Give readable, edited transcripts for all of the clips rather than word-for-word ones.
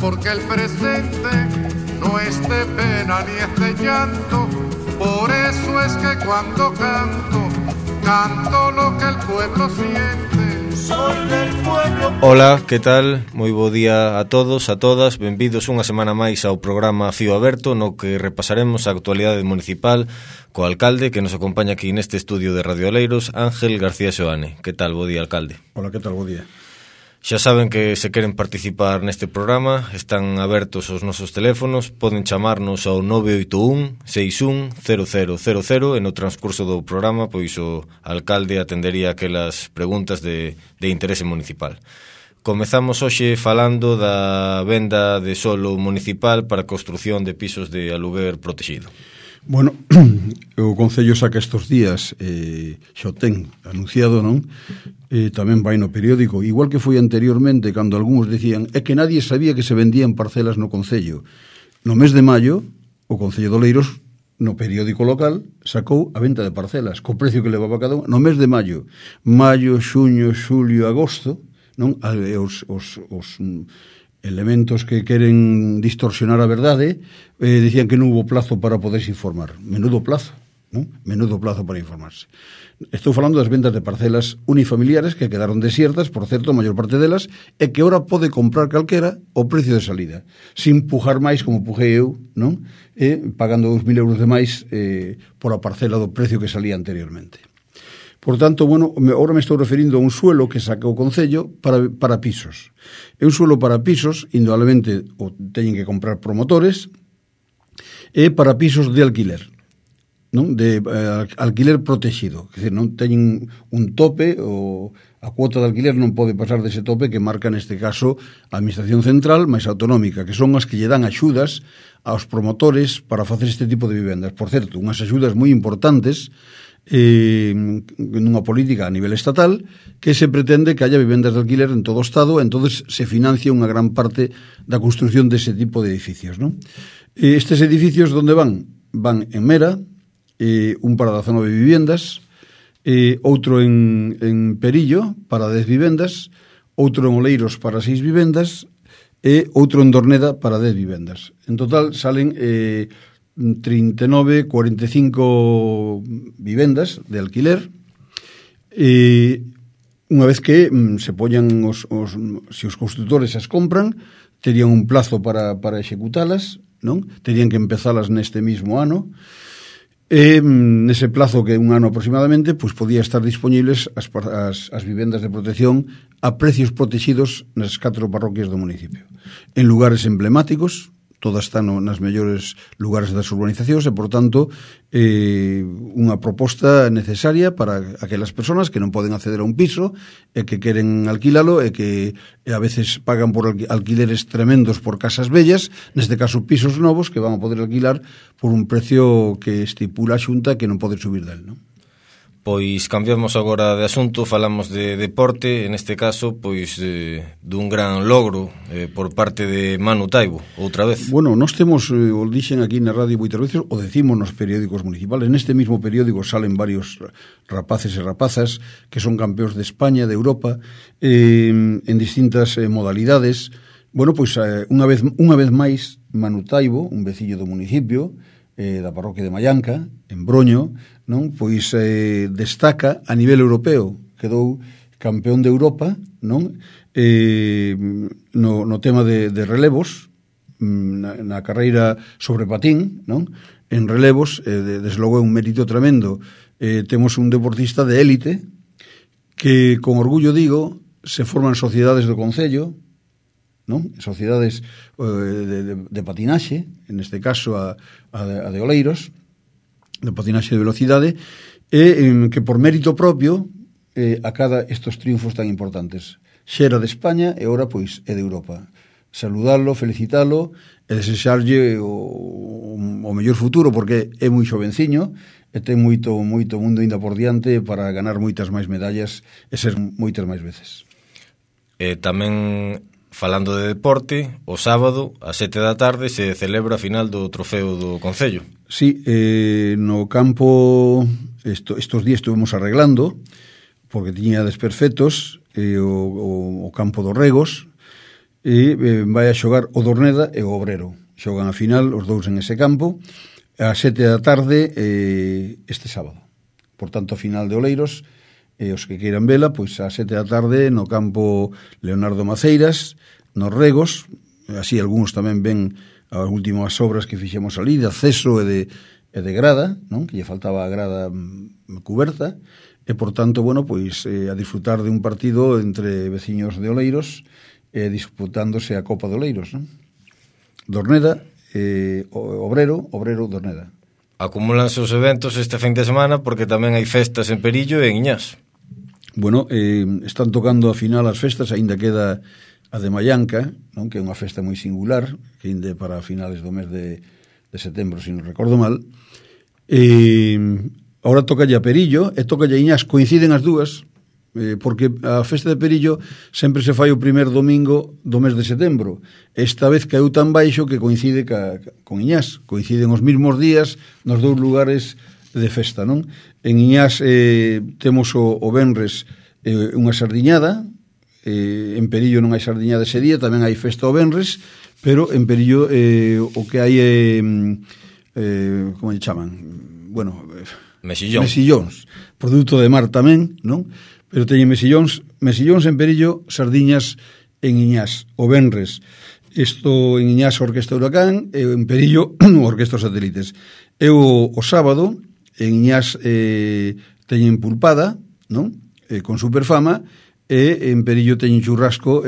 porque el presente no es de pena ni es de llanto. Por eso es que cuando canto, canto lo que el pueblo siente. Soy del pueblo. Ola, que tal? Moi bo día a todos, a todas. Benvidos unha semana máis ao programa Fío Aberto, no que repasaremos a actualidade municipal co alcalde que nos acompaña aquí neste estudio de Radio Oleiros, Ángel García Xoane. Que tal? Bo día, alcalde. Hola, que tal? Bo día. Xa saben que se queren participar neste programa, están abertos os nosos teléfonos, poden chamarnos ao 981 61 0000 e no transcurso do programa pois o alcalde atendería aquelas preguntas de interese municipal. Comezamos hoxe falando da venda de solo municipal para a construción de pisos de aluguer protegido. Bueno, o Concello saca estes días, xa o ten anunciado, non? Tamén vai no periódico, igual que foi anteriormente, cando algúns decían é que nadie sabía que se vendían parcelas no Concello. No mes de maio, o Concello de Oleiros, no periódico local, sacou a venta de parcelas, co precio que levaba cada un, no mes de maio. Maio, xuño, xulio, agosto, non? Os elementos que queren distorsionar a verdade dicían que non hubo plazo para poderse informar. Menudo plazo, non? Menudo plazo para informarse. Estou falando das vendas de parcelas unifamiliares que quedaron desiertas, por certo, a maior parte delas, e que ora pode comprar calquera o precio de salida, sin pujar máis como pujei eu, non? Pagando 2.000 euros de máis por a parcela do precio que salía anteriormente. Por tanto, bueno, ahora me estou referindo a un suelo que saca o Concello para pisos. É un suelo para pisos, indudablemente o teñen que comprar promotores, e para pisos de alquiler, non? De alquiler protegido, é dicir, non teñen un tope, ou a cuota de alquiler non pode pasar dese tope que marca neste caso a Administración Central máis autonómica, que son as que lle dan axudas aos promotores para facer este tipo de vivendas. Por certo, unhas axudas moi importantes nunha política a nivel estatal que se pretende que haya vivendas de alquiler en todo o Estado, entonces se financia unha gran parte da construción dese tipo de edificios, non? Estes edificios onde van? Van en Mera, un para 19 viviendas, outro en Perillo para 10 vivendas, outro en Oleiros para 6 vivendas e outro en Dorneda para 10 vivendas. En total salen 39, 45 vivendas de alquiler, unha vez que se poñan se os construtores as compran, terían un plazo para executalas, non? Terían que empezalas neste mismo ano, e nese plazo que é un ano aproximadamente, pois podía estar disponibles as vivendas de protección a precios protegidos nas 4 parroquias do municipio, en lugares emblemáticos. Todas están nas mellores lugares das urbanizacións e, por tanto, unha proposta necesaria para aquelas persoas que non poden acceder a un piso e que queren alquilalo e que a veces pagan por alquileres tremendos por casas bellas, neste caso pisos novos que van a poder alquilar por un precio que estipula a Xunta que non pode subir del, non? Pois cambiamos agora de asunto, falamos de deporte, en este caso, pois dun gran logro por parte de Manu Taibo, outra vez. Bueno, nós temos, o dixen aquí na radio moitas veces, o decimos nos periódicos municipales, neste mismo periódico salen varios rapaces e rapazas que son campeóns de España, de Europa, en distintas modalidades. Bueno, pois unha vez máis, Manu Taibo, un veciño do municipio, da parroquia de Mallanca, en Broño, non? Pois destaca a nivel europeo, quedou campeón de Europa, non? No tema de relevos, na carreira sobre patín, non? En relevos, desde logo é un mérito tremendo. Temos un deportista de élite que, con orgullo digo, se forman sociedades do Concello, non? Sociedades de patinaxe, en este caso a de Oleiros, de patinaxe de velocidade, e que por mérito propio acada estos triunfos tan importantes. Xera de España e ora pois é de Europa. Saludalo, felicitalo e desexarlle o mellor futuro, porque é moi xovenciño e ten moito mundo ainda por diante para ganar moitas máis medallas e ser moitas máis veces. Tamén falando de deporte, o sábado, ás 7 da tarde, se celebra a final do trofeo do Concello. Sí, no campo, estos días estuvemos arreglando, porque tiña desperfectos, o campo dos Regos, e vai a xogar o Dorneda e o Obrero. Xogan a final os dous en ese campo a 7 da tarde este sábado. Por tanto, a final de Oleiros, os que queiran vela, pois a 7 da tarde no campo Leonardo Maceiras, nos Regos. Así algúns tamén ven as últimas obras que fixemos ali de acceso e de grada, non? Que lle faltaba a grada cuberta, e por tanto, bueno, pois a disfrutar de un partido entre veciños de Oleiros, disputándose a Copa de Oleiros, non? Dorneda, Obrero, Dorneda. Acumúlanse os eventos este fin de semana porque tamén hai festas en Perillo e en Iñás. Bueno, están tocando a final as festas, aínda queda a de Mallanca, non? Que é unha festa moi singular, que inde para finales do mes de setembro, se non recordo mal. Ahora toca a Perillo e toca a Iñás, coinciden as dúas, porque a festa de Perillo sempre se fai o primer domingo do mes de setembro. Esta vez caeu tan baixo que coincide con Iñás, coinciden os mesmos días nos dous lugares de festa, non? En Iñás temos o venres unha sardiñada, en Perillo non hai sardiñada ese día, tamén hai festa o venres, pero en Perillo o que hai como lle chaman? Bueno, mesillóns, produto de mar tamén, non? Pero teñen mesillóns en Perillo, sardiñas en Iñás, o venres. Isto en Iñás Orquesta Huracán, e en Perillo Orquesta Satélites. E o sábado en Iñás teñen pulpada, non? Con Superfama, e en Perillo teñen churrasco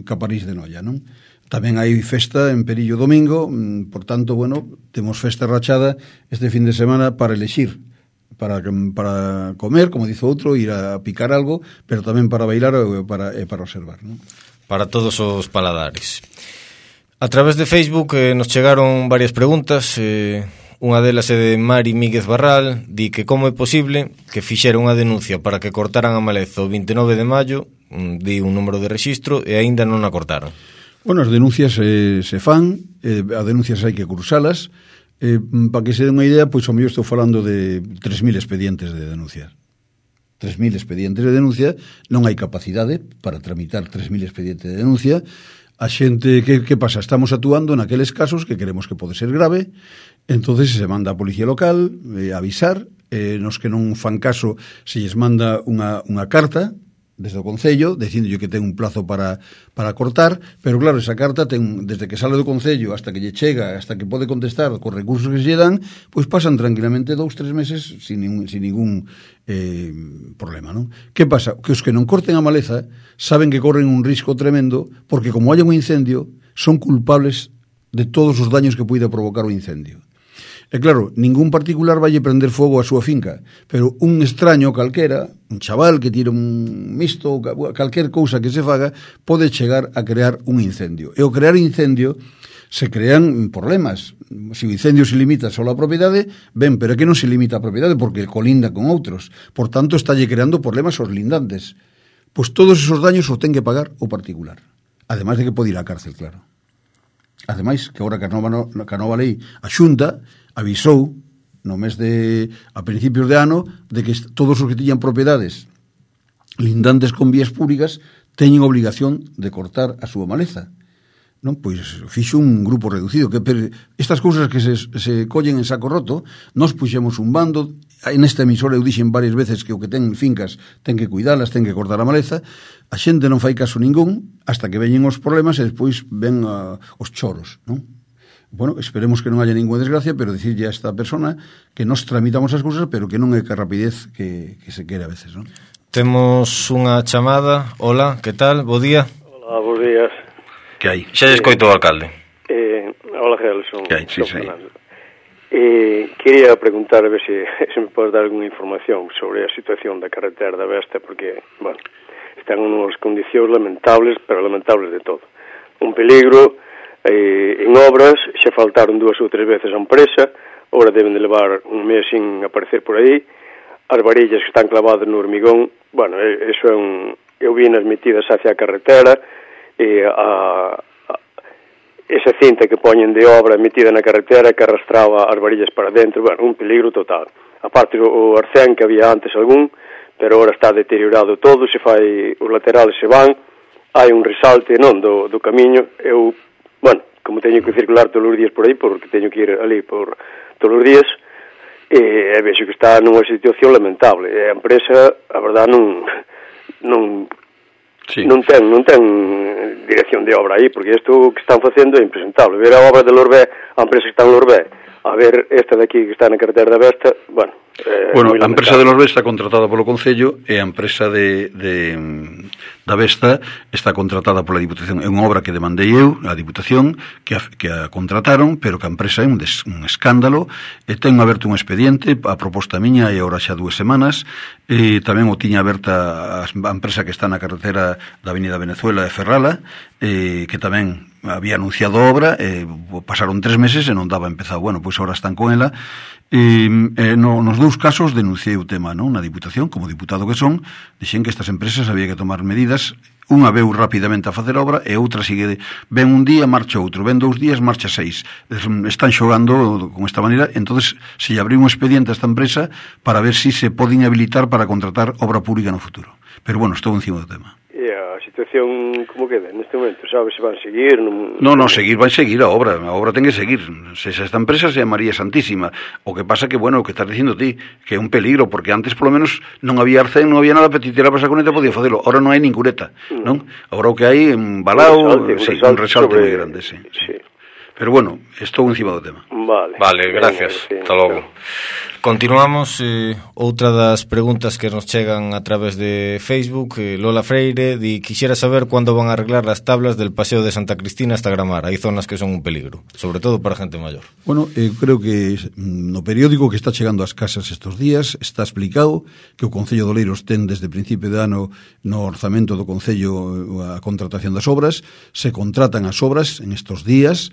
Caparís de Noia, non? Tamén hai festa en Perillo domingo, por tanto, bueno, temos festa rachada este fin de semana para elexir, para comer, como dice outro, ir a picar algo, pero tamén para bailar e para observar, non? Para todos os paladares. A través de Facebook nos chegaron varias preguntas. Unha delas é de Mari Míguez Barral, di que como é posible que fixera unha denuncia para que cortaran a maleza o 29 de maio, di un número de rexistro, e aínda non a cortaron. Bueno, as denuncias se fan, as denuncias hai que cursalas. Para que se den unha idea, pois ao mellor estou falando de 3.000 expedientes de denuncia. 3.000 expedientes de denuncia, non hai capacidade para tramitar 3.000 expedientes de denuncia. A xente, que pasa? Estamos actuando naqueles casos que queremos que pode ser grave, entonces se manda a policía local a avisar, nos que non fan caso se lles manda unha carta desde o Concello, dicindo que ten un plazo para cortar, pero claro, esa carta ten, desde que sale do Concello hasta que lle chega, hasta que pode contestar cos recursos que se lle dan, pois pasan tranquilamente 2-3 meses sin ningún problema, non? Que pasa? Que os que non corten a maleza saben que corren un risco tremendo, porque como haya un incendio, son culpables de todos os daños que poida provocar o incendio. E claro, ningún particular vai prender fogo á súa finca, pero un extraño calquera, un chaval que tira un misto, calquer cousa que se faga, pode chegar a crear un incendio. E ao crear incendio se crean problemas. Se o incendio se limita só á propiedade, ben, pero é que non se limita a propiedade porque colinda con outros. Por tanto, estalle creando problemas aos lindantes. Pois todos esos daños os ten que pagar o particular. Ademais de que pode ir á cárcel, claro. Ademais, que agora que a nova lei, a Xunta avisou a principios de ano de que todos os que tiñan propiedades lindantes con vías públicas teñen obligación de cortar a súa maleza. Non, pois fixo un grupo reducido, que estas cousas que se collen en saco roto, nos puxemos un bando. Nesta emisora eu dixen varias veces que o que ten fincas ten que cuidalas, ten que cortar a maleza. A xente non fai caso ningún hasta que veñen os problemas e despois ven os choros, non? Bueno, esperemos que non haya ninguna desgracia, pero dicirlle a esta persona que nos tramitamos as cousas, pero que non é que a rapidez que se quere a veces, non? Temos unha chamada. Hola, que tal? Bo día. Hola, bos días. Que hai? Xa escoito o alcalde. Hola, Gelson. Que hai? Sí, sí. Quería preguntar a ver se me podes dar alguna información sobre a situación da carretera da Vesta, porque, bueno, están en unhas condicións lamentables, pero lamentables de todo. Un peligro. En obras xa faltaron 2 ou 3 veces a empresa, agora deben de levar un mes sin aparecer por aí. As varillas que están clavadas no hormigón, bueno, eso é eu vi nas metidas hacia a carretera, esa cinta que poñen de obra metida na carretera que arrastraba as varillas para dentro, bueno, un peligro total. Aparte o arcén que había antes algún, pero agora está deteriorado todo, os laterales se van, hai un resalte do camiño. Eu, bueno, como teño que circular todos os días por aí, porque teño que ir ali por todos os días, e vexo que está nunha situación lamentable. A empresa, a verdad, non ten dirección de obra aí, porque isto que están facendo é impresentable. Ver a obra de Lorbé, a empresa que está en Lorbé, a ver esta de aquí que está na carretera da Vesta, bueno, a empresa de Lorbé está contratada polo Concello e a empresa da Vesta está contratada pola Diputación. É unha obra que demandei eu, a Diputación, que a contrataron, pero que a empresa é un escándalo, e ten aberto un expediente, a proposta miña, e agora xa 2 semanas, e tamén o tiña aberta a empresa que está na carretera da Avenida Venezuela de Ferrala, que tamén había anunciado obra, pasaron 3 meses e non daba empezado. Bueno, pois agora están con ela. Nos 2 casos denunciei o tema, non? Na Diputación, como diputado que son, dixen que estas empresas había que tomar medidas. Unha veu rapidamente a facer obra e outra sigue, ven un día, marcha outro, ven 2 días, marcha 6. Están xogando con esta maneira. Entonces se lle abriu un expediente a esta empresa para ver si se pode inhabilitar para contratar obra pública no futuro. Pero bueno, estou encima do tema. E a situación como queda neste momento? Sabes se van seguir? Seguir vai seguir a obra ten que seguir. Se esta empresa se María Santísima. O que pasa que, bueno, o que estás dicindo ti, que é un peligro, porque antes polo menos non había arcén, non había nada para ti tirar para esa cuneta, podía facelo. Ahora non hai nin cuneta, non? Agora o que hai un balao, un resalte moi grande, sí. Pero bueno, estou encima do tema. Vale, gracias. Hasta logo. Continuamos. Outra das preguntas que nos chegan a través de Facebook, Lola Freire quixera saber cuándo van a arreglar las tablas del Paseo de Santa Cristina hasta Gramar. Hai zonas que son un peligro, sobre todo para gente maior. Bueno, creo que no periódico que está chegando ás casas estes días está explicado que o Concello de Oleiros ten desde principio de ano no orzamento do Concello a contratación das obras. Se contratan as obras en estes días,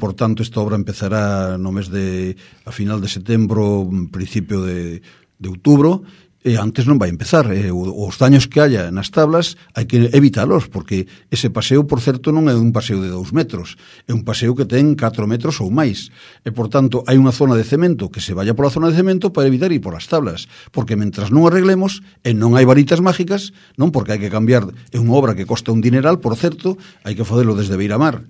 por tanto esta obra empezará no mes a final de setembro, principio de outubro, e antes non vai empezar. Os daños que haya nas tablas hai que evitalos, porque ese paseo, por certo, non é un paseo de 2 metros, é un paseo que ten 4 metros ou máis, e por tanto hai unha zona de cemento, que se vaya pola zona de cemento para evitar ir polas tablas, porque mentras non arreglemos, e non hai varitas mágicas, non, porque hai que cambiar, é unha obra que costa un dineral, por certo, hai que facelo desde Beiramar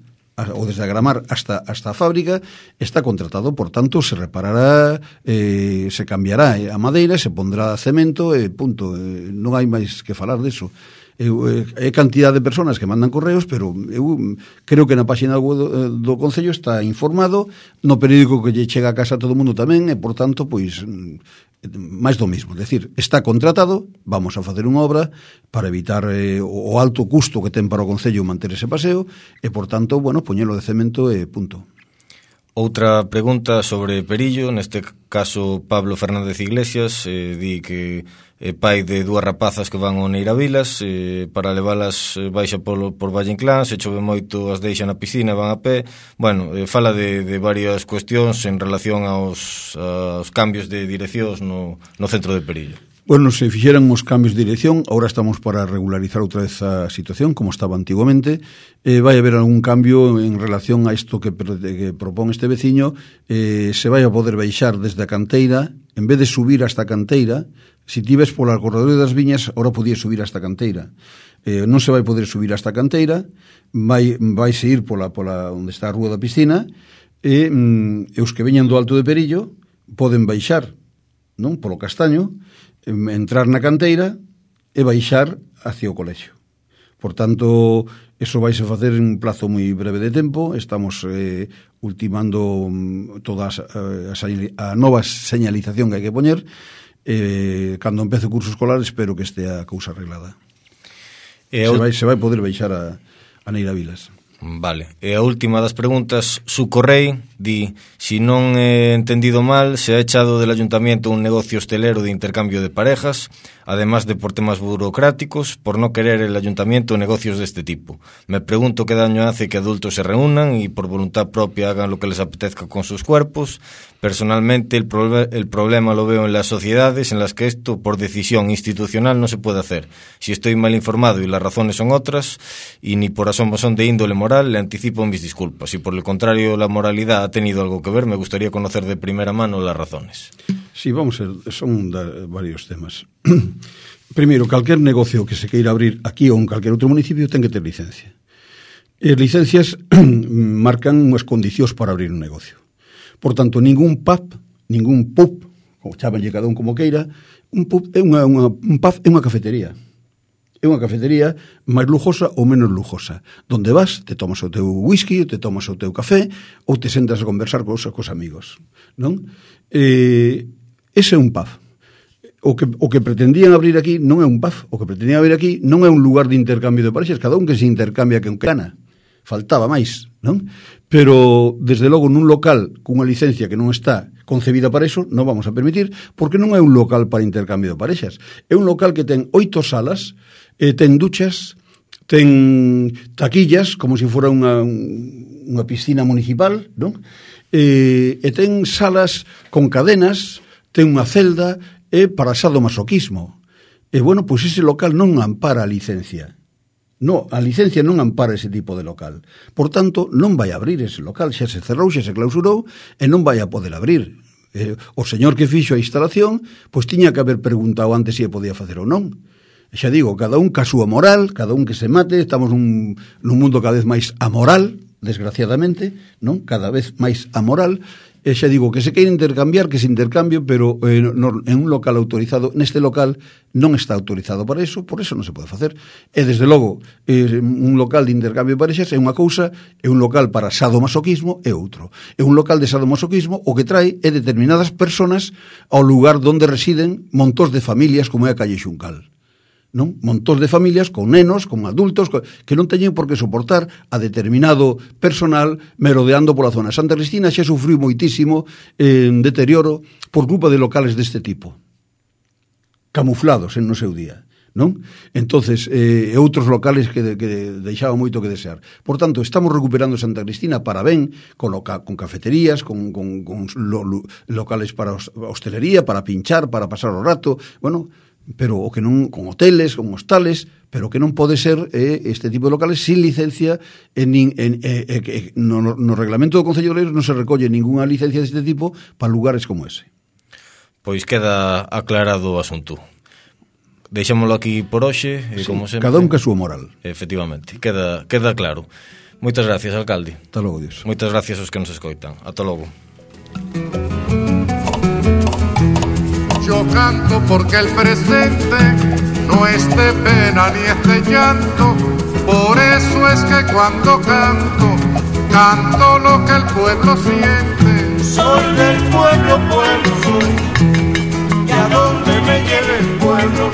ou desde Gramar hasta a fábrica, está contratado, por tanto se reparará, se cambiará a madeira, se pondrá cemento e punto. Non hai máis que falar deso. É cantidad de personas que mandan correos, pero eu creo que na página web do Concello está informado, no periódico que lle chega a casa a todo o mundo tamén, e por tanto, pois máis do mismo, decir, está contratado, vamos a facer unha obra para evitar o alto custo que ten para o Concello manter ese paseo, e por tanto, bueno, poñelo de cemento e punto. Outra pregunta sobre Perillo, neste caso Pablo Fernández Iglesias, di que é pai de 2 rapazas que van ao Neiravilas, para leválas baixa por Valle Inclán, se chove moito as deixa na piscina, van a pé. Bueno, fala de varias cuestións en relación aos cambios de direccións no centro de Perillo. Bueno, se fixeran os cambios de dirección, agora estamos para regularizar outra vez a situación, como estaba antiguamente. Vai haber algún cambio en relación a isto que propón este veciño. Se vai a poder baixar desde a canteira, en vez de subir hasta a canteira. Si ti ves pola corredor das Viñas, ahora podías subir hasta a canteira. Non se vai poder subir hasta a canteira, vaise ir pola onde está a rúa da piscina, e os que veñan do Alto de Perillo poden baixar, non, polo Castaño, entrar na canteira e baixar hacia o colexio. Por tanto, eso vaise facer en un plazo moi breve de tempo. Estamos ultimando toda a nova señalización que hai que poñer. Cando empece o curso escolar espero que estea a cousa arreglada. Se vai poder baixar a Neiravilas. Vale, e a última das preguntas, Sucorrei di, si non he entendido mal, se ha echado del ayuntamiento un negocio hostelero de intercambio de parejas, además de por temas burocráticos, por no querer el ayuntamiento negocios de este tipo. Me pregunto qué daño hace que adultos se reúnan y por voluntad propia hagan lo que les apetezca con sus cuerpos. Personalmente el problema lo veo en las sociedades en las que esto por decisión institucional no se puede hacer. Si estoy mal informado y las razones son otras, y ni por asomo son de índole moral, le anticipo mis disculpas. Si por el contrario la moralidad ha tenido algo que ver, me gustaría conocer de primera mano las razones. Sí, vamos a ver, son varios temas. Primeiro, calquer negocio que se queira abrir aquí ou en calquer outro municipio ten que ter licencia. E as licencias marcan unhas condicións para abrir un negocio. Por tanto, ningún pub, como chábanlle cada un como queira, un pub é un pub é unha cafetería. É unha cafetería máis lujosa ou menos lujosa. Donde vas, te tomas o teu whisky, te tomas o teu café, ou te sentas a conversar cos amigos. Non? Ese é un pub. O que pretendían abrir aquí non é un pub. O que pretendían abrir aquí non é un lugar de intercambio de parexas. Cada un que se intercambia que un cana. Faltaba máis, non? Pero, desde logo, nun local cunha licencia que non está concebida para eso, non vamos a permitir, porque non é un local para intercambio de parexas. É un local que ten 8 salas, ten duchas, ten taquillas, como se fora unha piscina municipal, non? E ten salas con cadenas, ten unha celda, para sadomasoquismo. E, bueno, pois ese local non ampara a licencia. No, a licencia non ampara ese tipo de local. Por tanto, non vai abrir ese local. Xa se cerrou, xa se clausurou e non vai a poder abrir. O señor que fixo a instalación, pois tiña que haber preguntado antes se podía facer ou non. Xa digo, cada un ca súa moral, cada un que se mate, estamos nun mundo cada vez máis amoral, desgraciadamente, non? Cada vez máis amoral. E xa digo, que se queira intercambiar, que se intercambio, pero en un local autorizado, neste local non está autorizado para eso, por eso non se pode facer. E, desde logo, un local de intercambio de parexas é unha cousa, é un local para sadomasoquismo é outro. É un local de sadomasoquismo o que trae é determinadas personas ao lugar onde residen montós de familias como é a calle Xuncal. Non? Montós de familias con nenos, con adultos que non teñen por que soportar a determinado personal merodeando pola zona. Santa Cristina xa sufriu moitísimo en deterioro por culpa de locales deste tipo, camuflados en no seu día, non? Entonces, outros locales que deixaban moito que desear. Por tanto, estamos recuperando Santa Cristina para ben, con cafeterías, con locales para hostelería, para pinchar, para pasar o rato, bueno, pero o que non, con hoteles, con hostales, pero que non pode ser este tipo de locales sin licencia. No reglamento do Concello de Oleiros non se recolle ninguna licencia deste tipo para lugares como ese. Pois queda aclarado o asunto. Deixámoslo aquí por hoxe, sí, como sempre. Cada un que a súa moral. Efectivamente, queda claro. Moitas gracias, alcalde. Ata logo, Dios. Moitas gracias aos que nos escoitan. Ata logo. Yo canto porque el presente no es de pena ni es de llanto. Por eso es que cuando canto, canto lo que el pueblo siente. Soy del pueblo soy, y a donde me lleve el pueblo